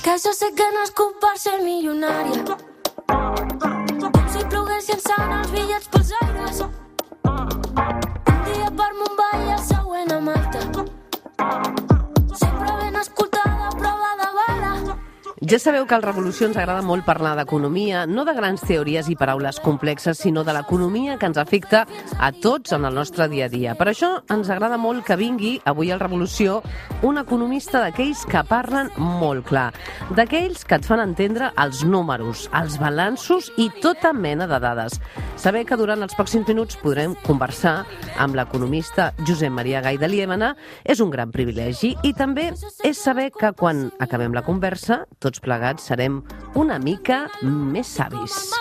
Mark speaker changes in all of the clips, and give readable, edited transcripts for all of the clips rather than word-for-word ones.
Speaker 1: Que jo sé que nascut per ser milionària. Com si ploguessin sant els bitllets pels aires. Un dia per Mumbai i el següent a Malta. Sempre ben escoltada, prova de bala.
Speaker 2: Ja sabeu que al Revolució ens agrada molt parlar d'economia, no de grans teories i paraules complexes, sinó de l'economia que ens afecta a tots en el nostre dia a dia. Per això ens agrada molt que vingui avui al Revolució un economista d'aquells que parlen molt clar, d'aquells que et fan entendre els números, els balanços i tota mena de dades. Saber que durant els pròxims minuts podrem conversar amb l'economista Josep Maria Gay de Liébana és un gran privilegi i també és saber que quan acabem la conversa tots plegats serem una mica més savis.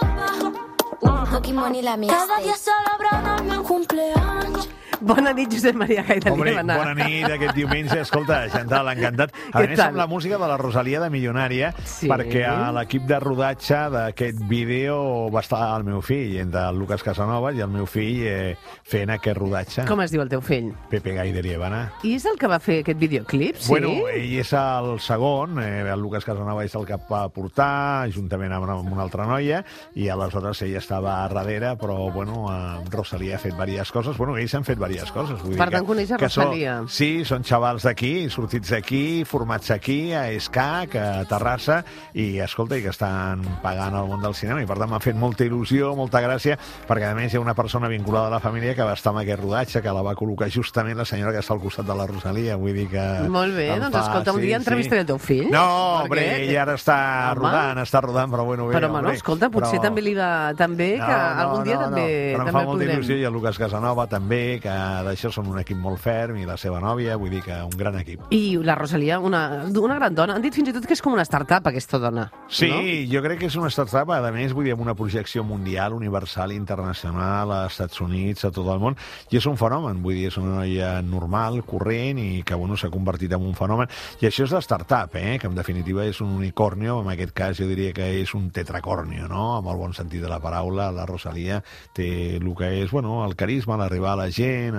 Speaker 1: Cada dia celebrant el meu cumpleaños.
Speaker 2: Bona nit, Josep Maria Gay de
Speaker 3: Hombre,
Speaker 2: Liébana.
Speaker 3: bona nit aquest diumenge. Escolta, Chantal, encantat. A més, amb la música de la Rosalia de Milionària,
Speaker 2: Sí.
Speaker 3: perquè a l'equip de rodatge d'aquest vídeo va estar el meu fill, entre el Lucas Casanovas i el meu fill fent aquest rodatge.
Speaker 2: Com es diu el teu fill?
Speaker 3: Pepe Gay de Liébana.
Speaker 2: I és el que va fer aquest videoclip, sí?
Speaker 3: Bueno, ell és el segon, el Lucas Casanova és el que va portar, juntament amb una altra noia, i aleshores ell estava a darrere, però, bueno, Rosalia ha fet diverses coses. Bueno, ells han fet diverses coses. Vull
Speaker 2: Per
Speaker 3: dir
Speaker 2: tant, coneix a
Speaker 3: que
Speaker 2: Rosalia.
Speaker 3: Sí, són xavals d'aquí, sortits d'aquí, formats aquí, a ESCAC, a Terrassa, i, escolta, i que estan pagant al món del cinema, i per tant m'ha fet molta il·lusió, molta gràcia, perquè a més hi ha una persona vinculada a la família que va estar amb aquest rodatge, que la va col·locar justament la senyora que està al costat de la Rosalia, vull dir que...
Speaker 2: Molt bé, doncs escolta, un dia entrevistaré el teu fill.
Speaker 3: No,
Speaker 2: perquè
Speaker 3: ell ara està rodant, però bueno, bé.
Speaker 2: Però, bueno, escolta, potser també li va tan bé que algun dia també
Speaker 3: però em fa molta
Speaker 2: podrem.
Speaker 3: il·lusió, i el Lucas Casanova també, que d'això són un equip molt ferm, i la seva nòvia, vull dir que un gran equip.
Speaker 2: I la Rosalia, una gran dona. Han dit fins i tot que és com una startup, aquesta dona.
Speaker 3: Sí,
Speaker 2: no?
Speaker 3: jo crec que és una startup, a més, vull dir, amb una projecció mundial, universal, internacional, als Estats Units, a tot el món, i és un fenomen, vull dir, és una noia normal, corrent, i que, bueno, s'ha convertit en un fenomen. I això és la startup, que en definitiva és un unicornio, en aquest cas jo diria que és un tetracornio, no?, amb el bon sentit de la paraula. La Rosalia té el que és, bueno, el carisma, l'arribar a la gent,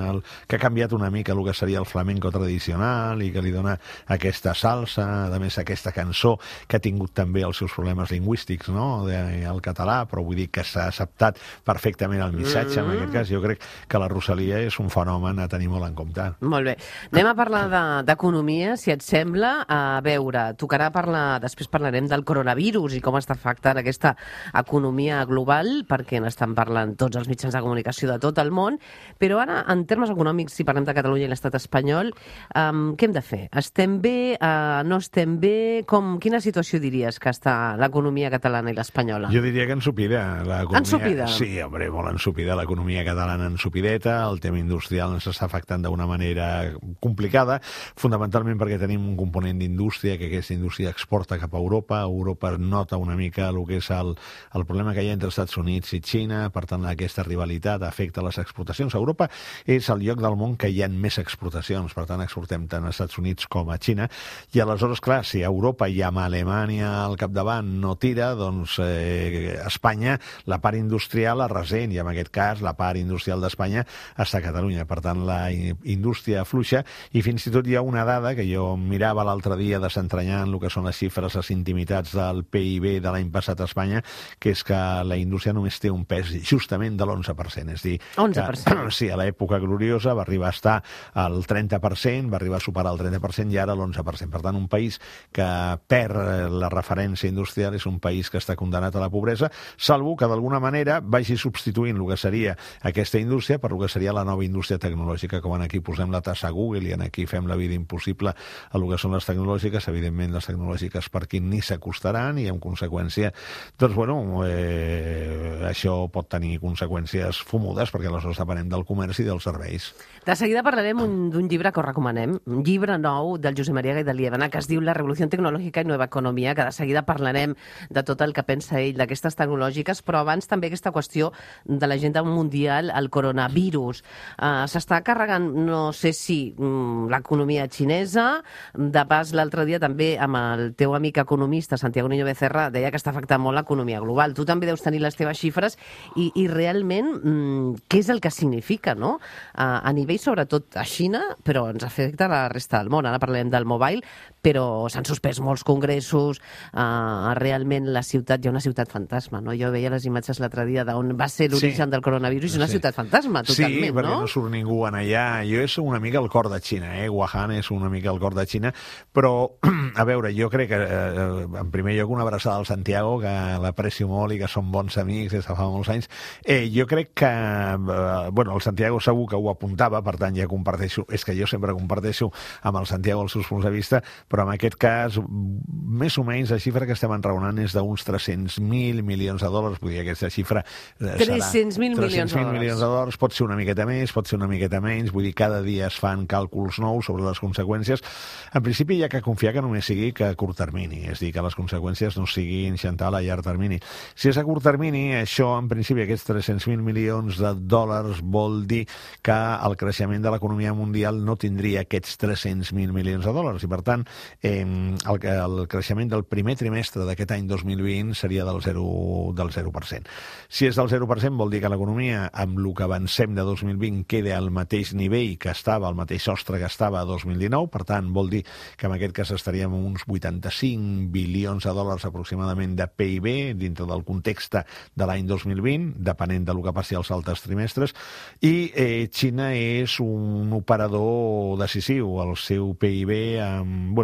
Speaker 3: que ha canviat una mica el que seria el flamenco tradicional i que li dona aquesta salsa, a més aquesta cançó que ha tingut també els seus problemes lingüístics, no?, el català, però vull dir que s'ha acceptat perfectament el missatge, en aquest cas. Jo crec que la Rosalia és un fenomen a tenir molt en compte.
Speaker 2: Molt bé. Anem a parlar d'economia, si et sembla. A veure, tocarà parlar, després parlarem del coronavirus i com està afectant aquesta economia global, perquè n'estan parlant tots els mitjans de comunicació de tot el món, però ara, en termes econòmics, si parlem de Catalunya i l'estat espanyol, què hem de fer? Estem bé? No estem bé? Quina situació diries que està l'economia catalana i l'espanyola?
Speaker 3: Jo diria que ensupida.
Speaker 2: Ensupida?
Speaker 3: Sí, home, molt ensupida. L'economia catalana ensupideta, el tema industrial ens està afectant d'una manera complicada, fonamentalment perquè tenim un component d'indústria, que aquesta indústria exporta cap a Europa. Europa nota una mica el que és el problema que hi ha entre Estats Units i Xina, per tant, aquesta rivalitat afecta les exportacions. Europa és el lloc del món que hi ha més exportacions, per tant, exportem tant als Estats Units com a Xina, i aleshores, clar, si a Europa i amb Alemanya al capdavant no tira, doncs Espanya, la part industrial la ressent, i en aquest cas la part industrial d'Espanya està a Catalunya. Per tant, la indústria fluixa, i fins i tot hi ha una dada que jo mirava l'altre dia desentranyant el que són les xifres, les intimitats del PIB de l'any passat a Espanya, que és que la indústria només té un pes justament de l'11%. És a dir,
Speaker 2: 11%.
Speaker 3: sí, a l'època gloriosa va arribar a estar al 30%, va arribar a superar el 30% i ara l'11%. Per tant, un país que perd la referència industrial és un país que està condemnat a la pobresa, salvo que d'alguna manera vagi substituint el que seria aquesta indústria per el que seria la nova indústria tecnològica, com aquí posem la tassa a Google i aquí fem la vida impossible a el que són les tecnològiques. Evidentment, les tecnològiques per aquí ni s'acostaran, i en conseqüència, doncs, bueno, això pot tenir conseqüències fumudes, perquè aleshores depenem del comerç i dels serveis.
Speaker 2: De seguida parlarem d'un llibre que us recomanem, un llibre nou del Josep Maria Gay de Liébana, que es diu La revolució tecnològica i nueva economia, que de seguida parlarem de tot el que pensa ell d'aquestes tecnològiques, però abans també aquesta qüestió de l'agenda mundial, el coronavirus. S'està carregant, no sé si l'economia xinesa, de pas l'altre dia també amb el teu amic economista, Santiago Niño Becerra, deia que està afectant molt l'economia global. Tu també deus tenir les teves xifres i realment què és el que significa, no?, a nivell sobretot a Xina, però ens afecta a la resta del món. Ara parlem del mobile, però s'han suspès molts congressos, realment la ciutat, hi ha una ciutat fantasma, no? Jo veia les imatges l'altre dia d'on va ser l'origen del coronavirus, i una ciutat fantasma, totalment,
Speaker 3: sí, perquè no surt ningú en allà. Jo és una mica el cor de Xina, Wuhan és una mica el cor de Xina, però, a veure, jo crec que, en primer lloc, una abraçada al Santiago, que l'aprecio molt i que som bons amics des de fa molts anys. Jo crec que, bueno, el Santiago segur que ho apuntava, per tant ja comparteixo, és que jo sempre comparteixo amb el Santiago els seus punts de vista, però en aquest cas, més o menys, la xifra que estem enraonant és d'uns 300.000 milions de dòlars, vull dir, aquesta xifra
Speaker 2: 300.000 milions
Speaker 3: de dòlars, pot ser una miqueta més, pot ser una miqueta menys, vull dir, cada dia es fan càlculs nous sobre les conseqüències. En principi hi ha que confiar que només sigui que a curt termini, és a dir, que les conseqüències no siguin Chantal a llarg termini. Si és a curt termini, això, en principi, aquests 300.000 milions de dòlars vol dir que el creixement de l'economia mundial no tindria aquests 300.000 milions de dòlars i, per tant, el creixement del primer trimestre d'aquest any 2020 seria del 0%. Si és del 0%, vol dir que l'economia, amb el que avancem de 2020, queda al mateix nivell que estava, al mateix sostre que estava a 2019, per tant, vol dir que en aquest cas estaríem amb uns 85 bilions de dòlars aproximadament de PIB dintre del context de l'any 2020, depenent del que passi als altres trimestres, i Xina és un operador decisiu. El seu PIB, amb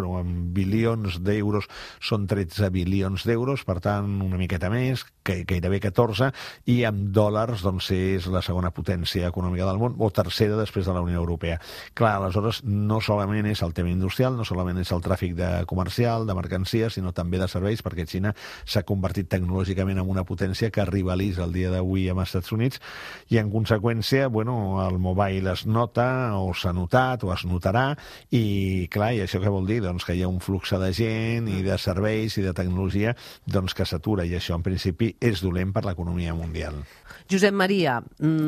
Speaker 3: bilions d'euros, són 13 bilions d'euros, per tant, una miqueta més, gairebé 14, i amb dòlars doncs, és la segona potència econòmica del món, o tercera després de la Unió Europea. Clar, aleshores, no solament és el tema industrial, no solament és el tràfic comercial, de mercancies, sinó també de serveis, perquè Xina s'ha convertit tecnològicament en una potència que rivalitza el dia d'avui amb els Estats Units, i en conseqüència, el mobile es nota, o s'ha notat, o es notarà, i clar, i això què vol dir? Doncs que hi ha un flux de gent i de serveis i de tecnologia que s'atura, i això en principi és dolent per l'economia mundial.
Speaker 2: Josep Maria,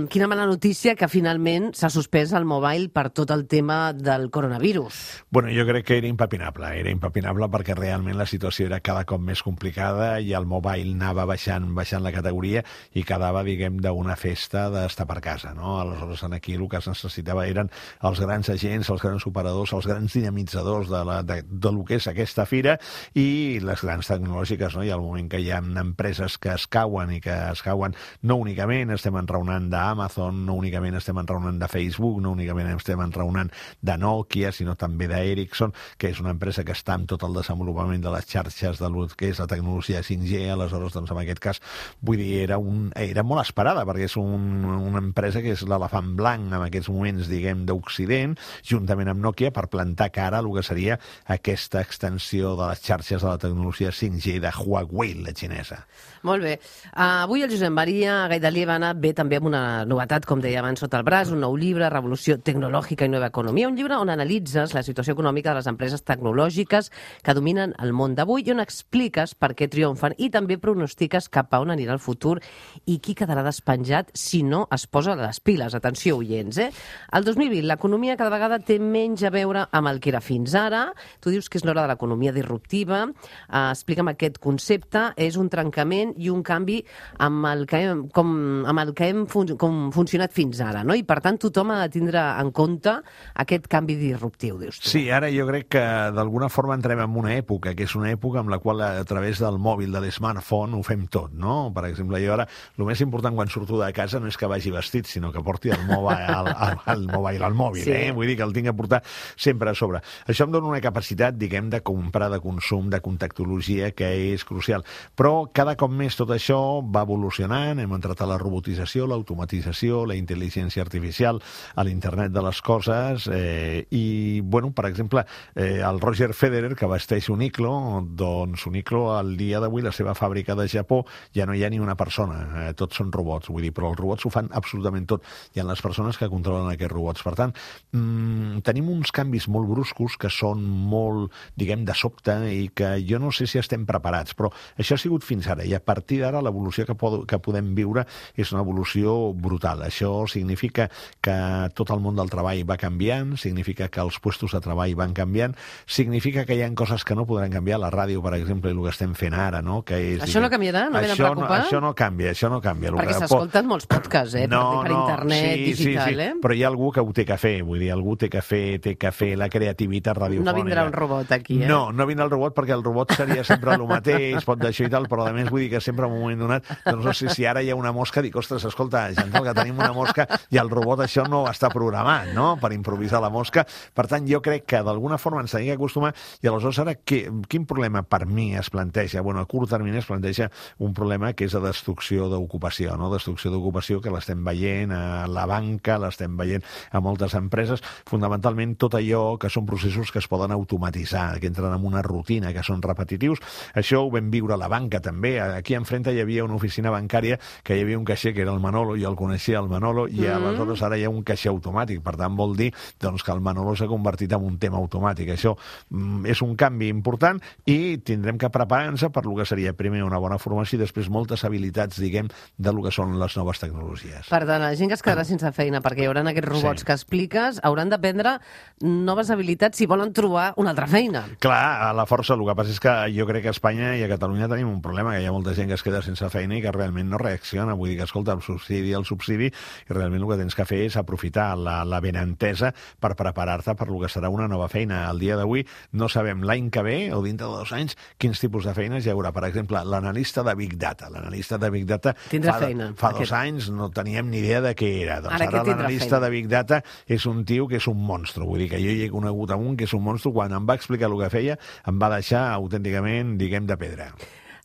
Speaker 2: quina mala notícia que finalment s'ha suspès el mobile per tot el tema del coronavirus.
Speaker 3: Bueno, jo crec que era impepinable perquè realment la situació era cada cop més complicada i el mobile anava baixant la categoria i quedava, diguem, d'una festa d'estar per casa, no? Aleshores, aquí el que es necessitava eren els grans agents, els grans operadors, els grans dinamitzadors de lo que és aquesta fira i les grans tecnològiques, no? I al moment que hi ha empreses que es cauen i que es cauen no únicament estem enraonant d'Amazon, no únicament estem enraonant de Facebook, no únicament estem enraonant de Nokia, sinó també d'Ericsson, que és una empresa que està amb tot el desenvolupament de les xarxes de lo que és la tecnologia 5G, aleshores, doncs, en aquest cas, vull dir, era molt esperada, perquè és una empresa que és l'elefant blanc en aquests moments, diguem, d'Occident, juntament amb Nokia, per plantar cara a lo que seria aquesta extensió de les xarxes de la tecnologia 5G de Huawei, la xinesa.
Speaker 2: Molt bé. Avui el Josep Maria Gaidalievana ve també amb una novetat, com deia abans, sota el braç, un nou llibre, Revolució tecnològica i nova economia, un llibre on analitzes la situació econòmica de les empreses tecnològiques que dominen el món d'avui i on expliques per què triomfen i també pronostiques cap a on anirà el futur i qui quedarà despenjat si no es posa les piles. Atenció, oients, El 2020 l'economia cada vegada té menys a veure amb el que era fins ara. Tu dius que és l'hora de l'economia disruptiva. Explica'm aquest concepte. És un trencament i un canvi amb el que hem funcionat fins ara, no? I per tant tothom ha de tindre en compte aquest canvi disruptiu, dius tu.
Speaker 3: Sí, ara jo crec que d'alguna forma entrem en una època, que és una època amb la qual a través del mòbil, de l'smartphone, ho fem tot, no? Per exemple, jo ara, el més important quan surto de casa no és que vagi vestit, sinó que porti el mòbil al mòbil, sí. Vull dir que el tinc a portar sempre a sobre. Això em dona una capacitat, diguem, de comprar, de consum, de contactologia, que és crucial. Però cada cop més tot això va evolucionant, hem entrat a la robotització, l'automatització, la intel·ligència artificial, a l'internet de les coses, i, bueno, per exemple, el Roger Federer, que vesteix Uniqlo, doncs Uniqlo, al dia d'avui, la seva fàbrica de Japó, ja no hi ha ni una persona, tots són robots, vull dir, però els robots ho fan absolutament tot, hi ha les persones que controlen aquests robots. Per tant, tenim uns canvis molt bruscos que són molt, diguem, de sobte i que jo no sé si estem preparats, però això ha sigut fins ara, i a partir d'ara l'evolució que podem viure és una evolució brutal. Això significa que tot el món del treball va canviant, significa que els puestos de treball van canviant, significa que hi ha coses que no podran canviar, la ràdio, per exemple, i el que estem fent ara, no? Que és,
Speaker 2: això no canviarà? No m'he de preocupar?
Speaker 3: Això no canvia.
Speaker 2: Perquè s'escolten molts podcasts, per internet digital,
Speaker 3: sí. Però hi ha algú que ho té que fer, vull dir, algú té que fer la creativitat radiofònica.
Speaker 2: No vindrà un robot aquí,
Speaker 3: No vindrà el robot perquè el robot seria sempre el mateix, pot d'això i tal, però a més vull dir que sempre en un moment donat, doncs no sé si ara hi ha una mosca, dic, ostres, escolta, Chantal, que tenim una mosca i el robot això no està programat, no?, per improvisar la mosca. Per tant, jo crec que d'alguna forma ens tenim que acostumar i aleshores ara quin problema per mi es planteja? Bueno, a curt termini es planteja un problema que és de destrucció d'ocupació, no? Destrucció d'ocupació que l'estem veient a la banca, l'estem veient a moltes empreses, fonamentalment tot allò que són processos que es poden automatitzar, que entren en una rutina, que són repetitius. Això ho vam viure a la banca també. Aquí enfrente hi havia una oficina bancària que hi havia un caixer que era el Manolo, jo el coneixia, el Manolo, i aleshores ara hi ha un caixer automàtic. Per tant, vol dir doncs, que el Manolo s'ha convertit en un tema automàtic. Això és un canvi important i tindrem que preparar-nos per lo que seria primer una bona formació i després moltes habilitats, diguem, de lo que són les noves tecnologies.
Speaker 2: Per tant, la gent que es quedarà sense feina perquè hi haurà aquests robots que expliques hauran d'aprendre noves habilitats si volen trobar una altra feina.
Speaker 3: Clar, a la força. El que passa és que jo crec que a Espanya i a Catalunya tenim un problema, que hi ha molta gent que es queda sense feina i que realment no reacciona. Vull dir que, escolta, el subsidi, i realment el que tens que fer és aprofitar la benentesa per preparar-te per lo que serà una nova feina. Al dia d'avui no sabem l'any que ve o dintre de 2 anys quins tipus de feines hi haurà. Per exemple, l'analista de Big Data. L'analista de Big Data fa 2 anys no teníem ni idea de què era. Doncs ara l'analista de Big Data és un tio que és un monstru. Vull dir que jo hi he conegut un que és un monstru. Quan em va explicar el que feia, em va deixar autènticament, diguem, de pedra.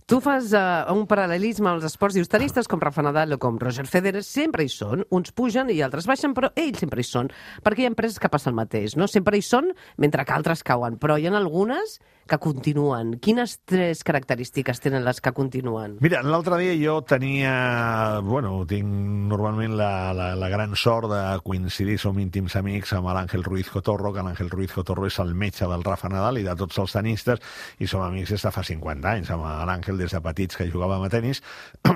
Speaker 2: Tu fas un paral·lelisme als esports, dius, tenistes com Rafa Nadal o com Roger Federer sempre hi són, uns pugen i altres baixen, però ells sempre hi són, perquè hi ha empreses que passa el mateix, no? Sempre hi són, mentre que altres cauen, però hi ha algunes que continuen. Quines 3 característiques tenen les que continuen?
Speaker 3: Mira, l'altre dia jo tenia... Bueno, tinc normalment la gran sort de coincidir, som íntims amics amb l'Àngel Ruiz Cotorro, que l'Àngel Ruiz Cotorro és el metge del Rafa Nadal i de tots els tenistes, i som amics des de fa 50 anys, amb l'Àngel des de petits que jugàvem a tenis,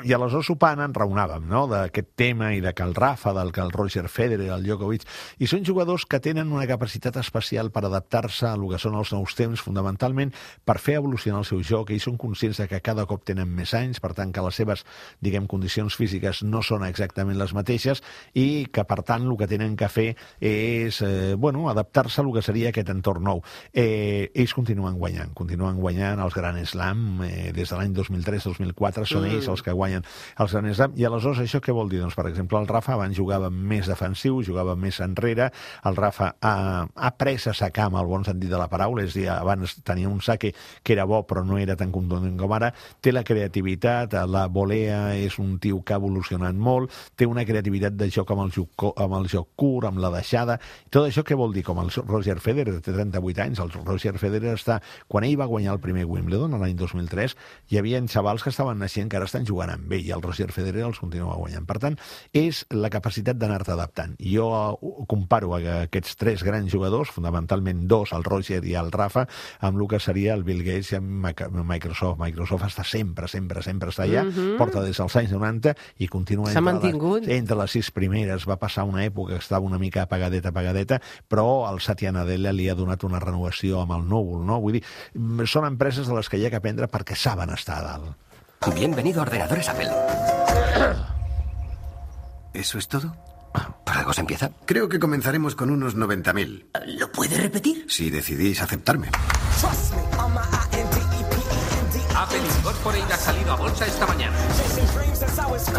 Speaker 3: i aleshores sopant en raonàvem, no?, d'aquest tema i de que el Rafa, del que el Roger Federer, el Djokovic, i són jugadors que tenen una capacitat especial per adaptar-se a lo que són els nous temps, fonamentalment per fer evolucionar el seu joc. Ells són conscients de que cada cop tenen més anys, per tant que les seves, diguem, condicions físiques no són exactament les mateixes i que, per tant, el que tenen que fer és, adaptar-se a lo que seria aquest entorn nou. Ells continuen guanyant els Grand Slam des de l'any 2003-2004, són ells els que guanyen els Grand Slam, i aleshores això què vol dir? Doncs, per exemple, el Rafa abans jugava més defensiu, jugava més enrere, el Rafa ha après a sacar amb el bon sentit de la paraula, és a dir, abans tenia un saque que era bo però no era tan contundent com ara, té la creativitat, la volea, és un tio que ha evolucionat molt, té una creativitat de joc amb el joc curt, amb la deixada, tot això què vol dir? Com el Roger Federer, té 38 anys, el Roger Federer quan ell va guanyar el primer Wimbledon l'any 2003, hi havia xavals que estaven naixent que ara estan jugant amb ell i el Roger Federer els continua guanyant. Per tant, és la capacitat d'anar-te adaptant. Jo comparo aquests 3 grans jugadors, fonamentalment 2, el Roger i el Rafa, amb el que seria el Bill Gates i Microsoft. Microsoft està sempre està allà, porta des dels anys 90 i continua entre les 6 primeres. Va passar una època que estava una mica apagadeta, però el Satya Nadella li ha donat una renovació amb el núvol, no? Vull dir, són empreses de les que hi ha que aprendre perquè saben estar a dalt.
Speaker 4: Bienvenido a Ordenadores Apple. ¿Eso es todo? ¿Por algo se empieza?
Speaker 5: Creo que comenzaremos con unos 90.000.
Speaker 4: ¿Lo puede repetir?
Speaker 5: Si decidís aceptarme.
Speaker 6: Apple Incorporated ha salido a bolsa esta mañana.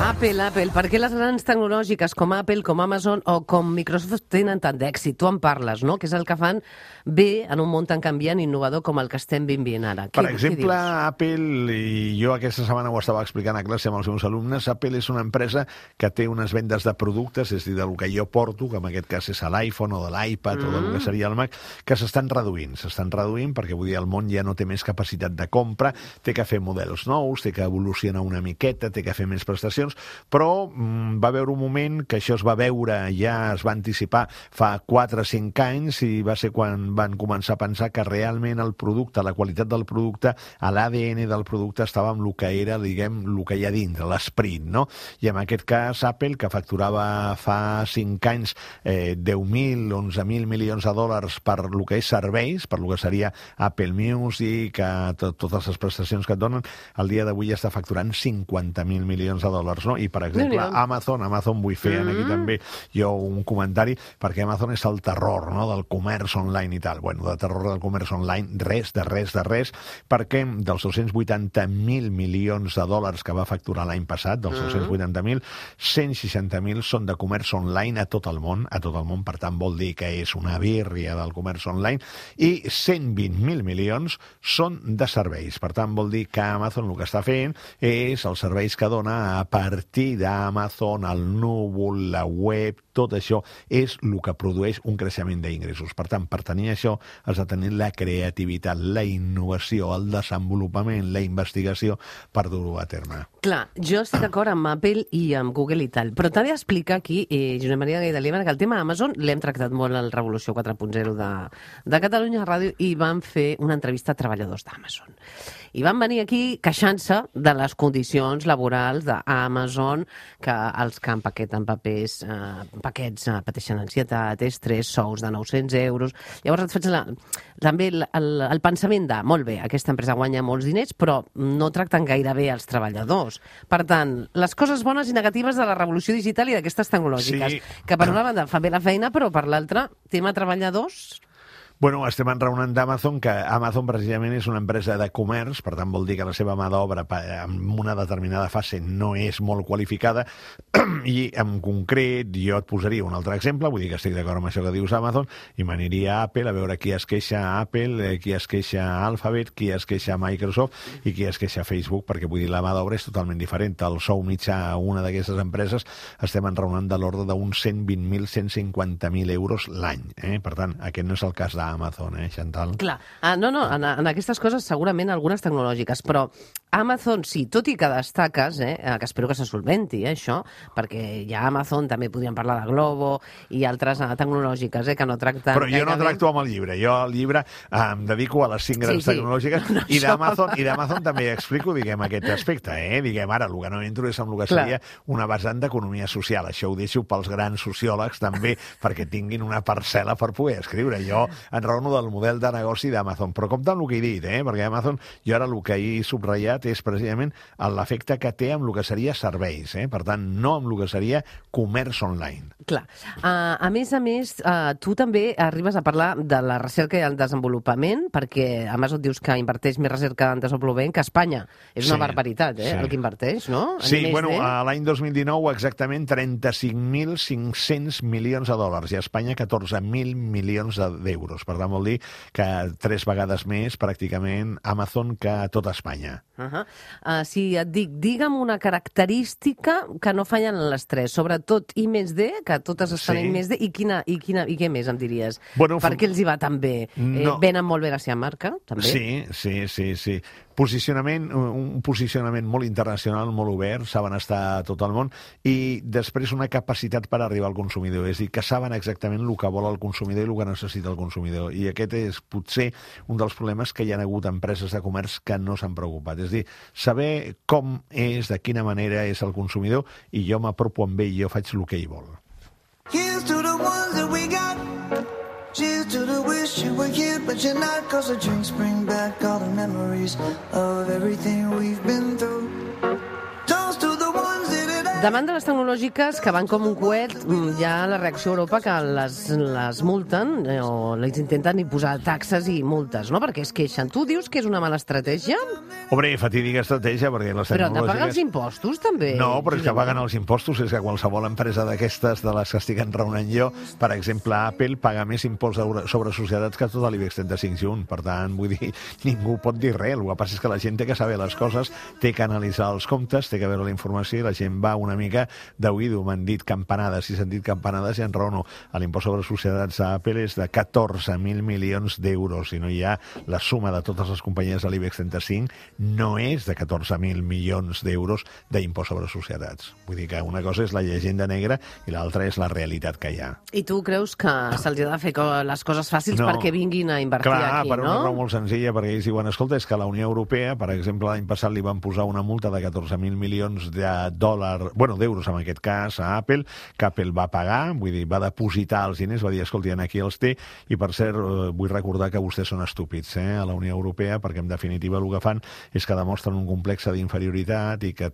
Speaker 2: Apple. Per què les grans tecnològiques com Apple, com Amazon o com Microsoft tenen tant d'èxit? Tu en parles, no? Que és el que fan bé en un món tan canviant i innovador com el que estem vivint ara.
Speaker 3: Per exemple, Apple, i jo aquesta setmana ho estava explicant a classe amb els meus alumnes, Apple és una empresa que té unes vendes de productes, és a dir, del que jo porto, que en aquest cas és l'iPhone o de l'iPad o del que seria el Mac, que s'estan reduint perquè, vull dir, el món ja no té més capacitat de compra, té que fer models nous, té que evolucionar una miqueta, té que fer més prestacions, però va haver un moment que això es va veure, ja es va anticipar fa 4 o 5 anys i va ser quan van començar a pensar que realment el producte, la qualitat del producte, l'ADN del producte estava amb el que era, diguem, el que hi ha dintre, l'esperit, no? I en aquest cas Apple, que facturava fa 5 anys 10.000, 11.000 milions de dòlars per el que és serveis, per el que seria Apple Music, totes les prestacions milions que et donen, al dia d'avui ja està facturant 50.000 milions de dòlars, no? I, per exemple, Amazon vull fer aquí també jo un comentari, perquè Amazon és el terror, no?, del comerç online i tal. Bueno, de terror del comerç online, res, perquè dels 280.000 milions de dòlars que va facturar l'any passat, dels 280.000, 160.000 són de comerç online a tot el món, per tant vol dir que és una birria del comerç online, i 120.000 milions són de serveis. Per tant, vol dir que Amazon el que està fent és els serveis que dona a partir d'Amazon, el núvol, la web, tot això és el que produeix un creixement d'ingressos. Per tant, per tenir això has de tenir la creativitat, la innovació, el desenvolupament, la investigació per dur-ho a terme.
Speaker 2: Clar, jo estic d'acord amb Apple i amb Google i tal, però t'ha d'explicar aquí, Josep Maria Gaidaliva, que el tema Amazon l'hem tractat molt al Revolució 4.0 de Catalunya Ràdio i vam fer una entrevista a treballadors d'Amazon. I van venir aquí queixant-se de les condicions laborals d'Amazon, que els que empaqueten paquets pateixen ansietat, estrès, sous de 900 euros. Llavors et faig també el pensament de, molt bé, aquesta empresa guanya molts diners, però no tracten gaire bé els treballadors. Per tant, les coses bones i negatives de la revolució digital i d'aquestes tecnològiques, que per una banda fa bé la feina, però per l'altra, tema treballadors...
Speaker 3: Bueno, estem enraonant d'Amazon, que Amazon precisament és una empresa de comerç, per tant vol dir que la seva mà d'obra en una determinada fase no és molt qualificada, i en concret jo et posaria un altre exemple, vull dir que estic d'acord amb això que dius Amazon, i m'aniria a Apple a veure qui es queixa a Apple, qui es queixa a Alphabet, qui es queixa a Microsoft i qui es queixa a Facebook, perquè vull dir la mà d'obra és totalment diferent. El sou mitjà a una d'aquestes empreses estem enraonant de l'ordre d'uns 120.000, 150.000 euros l'any. Per tant, aquest no és el cas d'Amazon, Chantal?
Speaker 2: Clar, en aquestes coses segurament algunes tecnològiques, però Amazon sí, tot i que destaques, que espero que se solventi això, perquè ja Amazon també podríem parlar de Globo i altres tecnològiques que no tracten...
Speaker 3: Però jo no tracto amb el llibre, jo al llibre em dedico a les 5 grans tecnològiques i d'Amazon també explico, diguem, aquest aspecte, diguem, ara, el que no entro és amb el que seria una vessant d'economia social, això ho deixo pels grans sociòlegs també, perquè tinguin una parcel·la per poder escriure. Jo enraono del model de negoci d'Amazon, però compte amb el que he dit, perquè Amazon, jo ara el que he subratllat és precisament l'efecte que té amb el que seria serveis, per tant, no amb el que seria comerç online.
Speaker 2: Clar. A més, tu també arribes a parlar de la recerca i el desenvolupament, perquè Amazon dius que inverteix més recerca en desenvolupament que Espanya. És una barbaritat, el que inverteix, no?
Speaker 3: Sí, bueno, l'any 2019 exactament 35.500 milions de dòlars i a Espanya 14.000 milions d'euros. Per tant, vol dir que 3 vegades més pràcticament Amazon que a tota Espanya.
Speaker 2: Si et dic, digue'm una característica que no fallen les 3, sobretot I+D, que totes estan en I+D, i què més em diries? Per què els hi va tan bé? Venen molt bé la seva marca, també?
Speaker 3: Sí. Un posicionament molt internacional, molt obert, saben estar a tot el món, i després una capacitat per arribar al consumidor, és a dir, que saben exactament el que vol el consumidor i el que necessita el consumidor, i aquest és potser un dels problemes que hi ha hagut empreses de comerç que no s'han preocupat, és a dir, saber com és, de quina manera és el consumidor, i jo m'apropo amb ell i jo faig el que ell vol.
Speaker 7: Here's to the ones that we got. Cheers to the wish you were here, but you're not. Cause the drinks bring back all the memories of everything we've been through. Toast to the ones that
Speaker 2: Davant de les tecnològiques que van com un coet, hi ha la reacció a Europa que les multen o les intenten posar taxes i multes, no? Perquè es queixen. Tu dius que és una mala estratègia?
Speaker 3: Hombre, fatídica estratègia, perquè les tecnològiques...
Speaker 2: Però han de pagar els impostos, també.
Speaker 3: No, però és que paguen els impostos. És que qualsevol empresa d'aquestes, de les que estic enraonant jo, per exemple, Apple paga més impost sobre societats que tota l'IBEX 35 junt. Per tant, vull dir, ningú pot dir res. El que passa és que la gent té que saber les coses, té que analitzar els comptes, té que veure la informació i la gent va una mica d'oïdo. M'han dit campanades, si s'han dit campanades i enraono. L'impost sobre societats a Apple és de 14.000 milions d'euros. Si no hi ha la suma de totes les companyies de l'IBEX 35, no és de 14.000 milions d'euros d'impost sobre societats. Vull dir que una cosa és la llegenda negra i l'altra és la realitat que hi ha.
Speaker 2: I tu creus que se'ls ha de fer les coses fàcils perquè vinguin a invertir aquí, no?
Speaker 3: Clar, per una raó molt senzilla, perquè ells diuen, escolta, és que la Unió Europea, per exemple, l'any passat li van posar una multa de 14.000 milions de dòlars, bueno, d'euros en aquest cas, a Apple, que Apple va pagar, vull dir, va depositar els diners, va dir, escolti, aquí els té, i per cert, vull recordar que vostès són estúpids, a la Unió Europea, perquè en definitiva el que fan és que demostren un complex d'inferioritat i que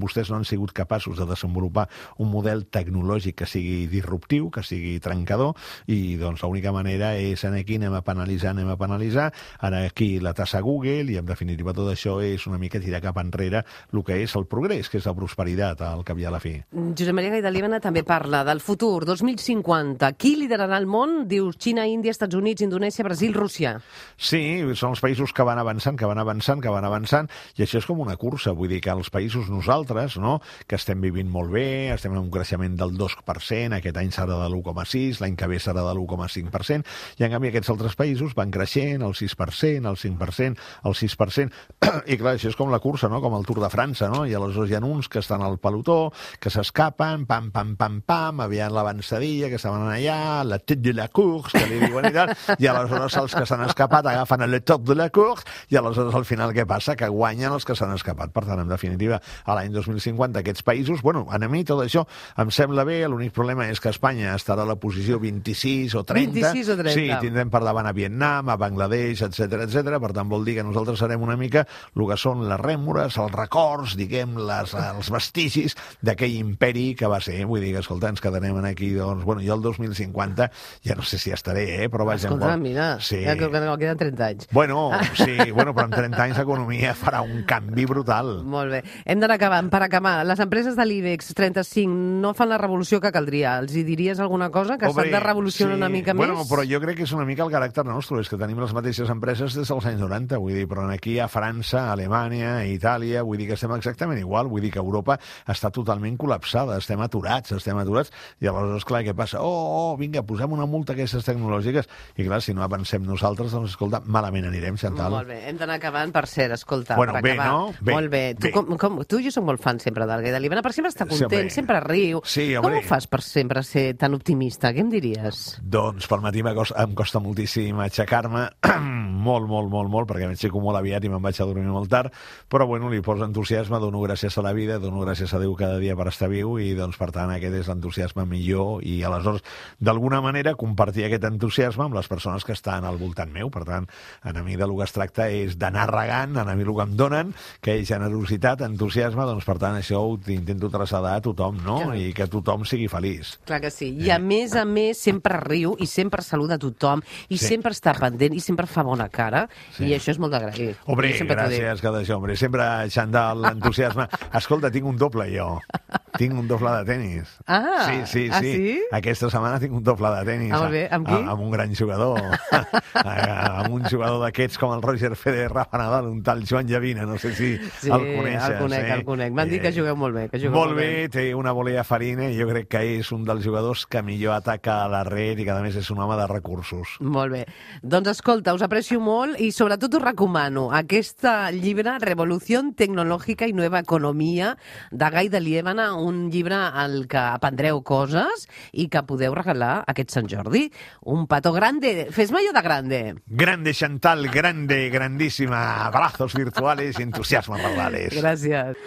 Speaker 3: vostès no han sigut capaços de desenvolupar un model tecnològic que sigui disruptiu, que sigui trencador, i doncs l'única manera és aquí anem a penalitzar, ara aquí la tassa Google, i en definitiva tot això és una mica tirar cap enrere el que és el progrés, que és la prosperitat, al cap i a la fi.
Speaker 2: Josep Maria Gay de Líbana també parla del futur, 2050. Qui liderarà el món? Dius Xina, Índia, Estats Units, Indonèsia, Brasil, Rússia.
Speaker 3: Sí, són els països que van avançant, i això és com una cursa, vull dir que els països nosaltres, no?, que estem vivint molt bé, estem en un creixement del 2%, aquest any serà de l'1,6%, l'any que ve serà de l'1,5%, i en canvi aquests altres països van creixent el 6%, el 5%, el 6%, i clar, això és com la cursa, no?, com el Tour de França, no?, i aleshores hi ha uns que estan al pelotó, que s'escapen, pam, pam, pam, pam, aviant l'avançadilla, que estaven allà, la tête de la course, que li diuen i tal, i aleshores els que s'han escapat agafen el top de la course, i aleshores al final què passa? Que guanyen els que s'han escapat. Per tant, en definitiva, a l'any 2050 aquests països, bueno, a mi tot això em sembla bé, l'únic problema és que Espanya estarà a la posició 26 o 30.
Speaker 2: 26 o 30.
Speaker 3: Sí, tindrem per davant a Vietnam, a Bangladesh, etc. Per tant, vol dir que nosaltres serem una mica el que són les rèmores, els records, diguem, els vestigis d'aquell imperi que va ser. Vull dir que, escolta, ens quedarem aquí, doncs, bueno, jo el 2050 ja no sé si estaré, però vaja...
Speaker 2: Escolta, mira,
Speaker 3: sí.
Speaker 2: Ja queden 30 anys.
Speaker 3: Bueno, sí, bueno, però en 30 anys l'economia farà un canvi brutal.
Speaker 2: Molt bé. Hem d'anar acabant. Per acabar, les empreses de l'IBEX 35 no fan la revolució que caldria. Els hi diries alguna cosa? Que s'han de revolucionar una mica més?
Speaker 3: Bueno, però jo crec que és una mica el caràcter nostre, és que tenim les mateixes empreses des dels anys 90, vull dir, però aquí a França, a Alemanya, a Itàlia, vull dir que estem exactament igual, vull dir que Europa està totalment col·lapsada, estem aturats, i aleshores, clar, què passa? Vinga, posem una multa a aquestes tecnològiques, i clar, si no avancem nosaltres, doncs, escolta, malament anirem, Chantal.
Speaker 2: Molt bé, hem d'anar acabant, per cert, escolta,
Speaker 3: bueno,
Speaker 2: per acabar.
Speaker 3: No? Bé,
Speaker 2: molt bé. Tu i jo som molt fans sempre del Gay de Líbana, per sempre està content, sempre riu.
Speaker 3: Sí,
Speaker 2: com ho fas per sempre ser tan optimista? Què em diries?
Speaker 3: Doncs pel matí em costa moltíssim aixecar-me, molt, perquè m'aixeco molt aviat i me'n vaig a dormir molt tard, però bueno, li poso entusiasme, dono gràcies a la vida, dono gràcies a Déu cada dia per estar viu, i doncs per tant aquest és l'entusiasme millor, i aleshores d'alguna manera compartir aquest entusiasme amb les persones que estan al voltant meu. Per tant, a mi del que es tracta és d'anar regant, a mi el que em donen, que és generositat, entusiasme, doncs per tant això ho intento traslladar a tothom, no? I que tothom sigui feliç.
Speaker 2: Clar que sí. I a més sempre riu i sempre saluda a tothom i sempre està pendent i sempre fa bona cara, i això és molt d'agrair.
Speaker 3: Hombre, gràcies, que d'això, hombre. Sempre eixant l'entusiasme. Escolta, tinc un doble, jo. Tinc un doble de tenis. Sí. Aquesta setmana tinc un doble de tenis.
Speaker 2: Molt bé, amb qui?
Speaker 3: Amb un gran jugador. Amb un jugador d'aquests com el Roger Federer, Rafa Nadal, un tal Joan Llavina, no sé si el coneixes.
Speaker 2: El conec. M'han dit que jugueu molt bé.
Speaker 3: Molt bé, té una volea farina, i jo crec que és un dels jugadors que millor ataca a la red i que a més és un home de recursos.
Speaker 2: Molt bé. Doncs escolta, us aprecio molt i sobretot us recomano aquest llibre, Revolució Tecnològica i Nueva Economia, de Gay de Líbana, un llibre al que aprendreu coses i que podeu regalar aquest Sant Jordi. Un petó grande. Fes-me allò de grande.
Speaker 3: Grande, Chantal, grande, grandíssima. Abrazos virtuales y entusiasmo verbales.
Speaker 2: Gràcies.